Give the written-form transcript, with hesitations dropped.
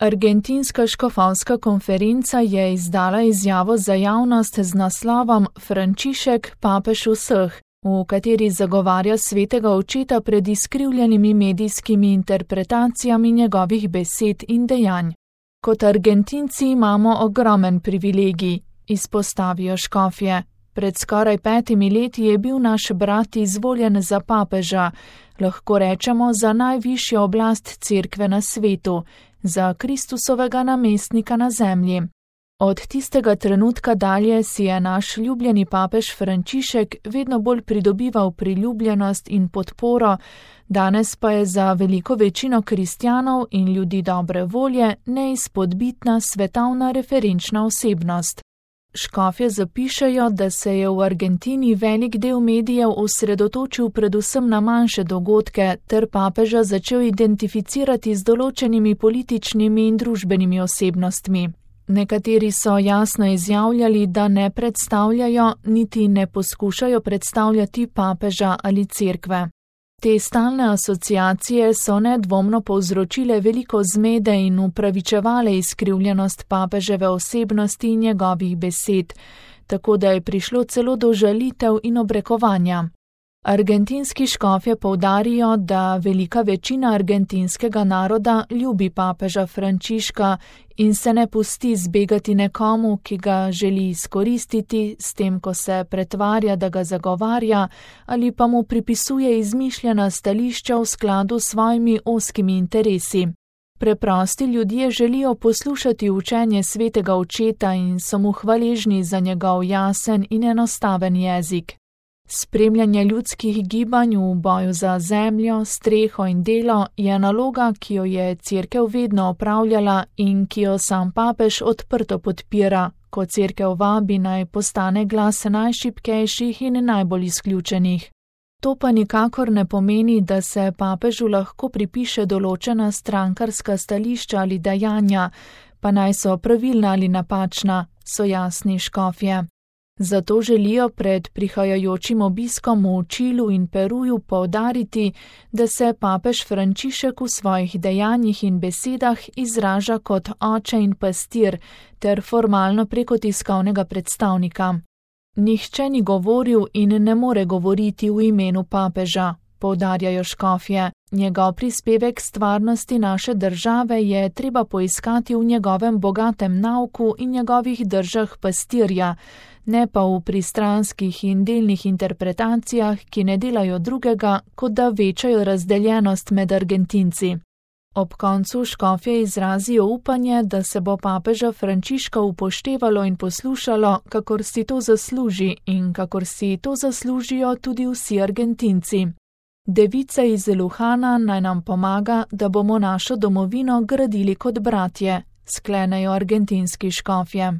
Argentinska škofovska konferenca je izdala izjavo za javnost z naslovom Frančišek, papež vseh, v kateri zagovarja svetega očeta pred izkrivljenimi medijskimi interpretacijami njegovih besed in dejanj. Kot Argentinci imamo ogromen privilegij, izpostavijo škofje. Pred skoraj 5 leti je bil naš brat izvoljen za papeža, lahko rečemo za najvišjo oblast cerkve na svetu, za Kristusovega namestnika na zemlji. Od tistega trenutka dalje si je naš ljubljeni papež Frančišek vedno bolj pridobival priljubljenost in podporo, danes pa je za veliko večino kristjanov in ljudi dobre volje neizpodbitna svetovna referenčna osebnost. Škofje zapišejo, da se je v Argentini velik del medijev osredotočil predvsem na manjše dogodke ter papeža začel identificirati z določenimi političnimi in družbenimi osebnostmi. Nekateri so jasno izjavljali, da ne predstavljajo niti ne poskušajo predstavljati papeža ali cerkve. Te stalne asociacije so nedvomno povzročile veliko zmede in upravičevale izkrivljenost papeževe osebnosti in njegovih besed, tako da je prišlo celo do žalitev in obrekovanja. Argentinski škofje poudarijo, da velika večina argentinskega naroda ljubi papeža Frančiška in se ne pusti zbegati nekomu, ki ga želi izkoristiti, s tem, ko se pretvarja, da ga zagovarja, ali pa mu pripisuje izmišljena stališča v skladu s svojimi ozkimi interesi. Preprosti ljudje želijo poslušati učenje svetega očeta in so mu hvaležni za njegov jasen in enostaven jezik. Spremljanje ljudskih gibanj v boju za zemljo, streho in delo je naloga, ki jo je cerkev vedno opravljala in ki jo sam papež odprto podpira, ko cerkev vabi naj postane glas najšibkejših in najbolj izključenih. To pa nikakor ne pomeni, da se papežu lahko pripiše določena strankarska stališča ali dejanja, pa naj so pravilna ali napačna, so jasni škofje. Zato želijo pred prihajajočim obiskom v Čilu in Peruju poudariti, da se papež Frančišek v svojih dejanjih in besedah izraža kot oče in pastir ter formalno preko tiskovnega predstavnika. Nihče ni govoril in ne more govoriti v imenu papeža, poudarjajo škofje. Njegov prispevek stvarnosti naše države je treba poiskati v njegovem bogatem nauku in njegovih držah pastirja, ne pa v pristranskih in delnih interpretacijah, ki ne delajo drugega, kot da večajo razdeljenost med Argentinci. Ob koncu škofje izrazijo upanje, da se bo papeža Frančiška upoštevalo in poslušalo, kakor si to zasluži in kakor si to zaslužijo tudi vsi Argentinci. Devica iz Luhana naj nam pomaga, da bomo našo domovino gradili kot bratje, sklenejo argentinski škofje.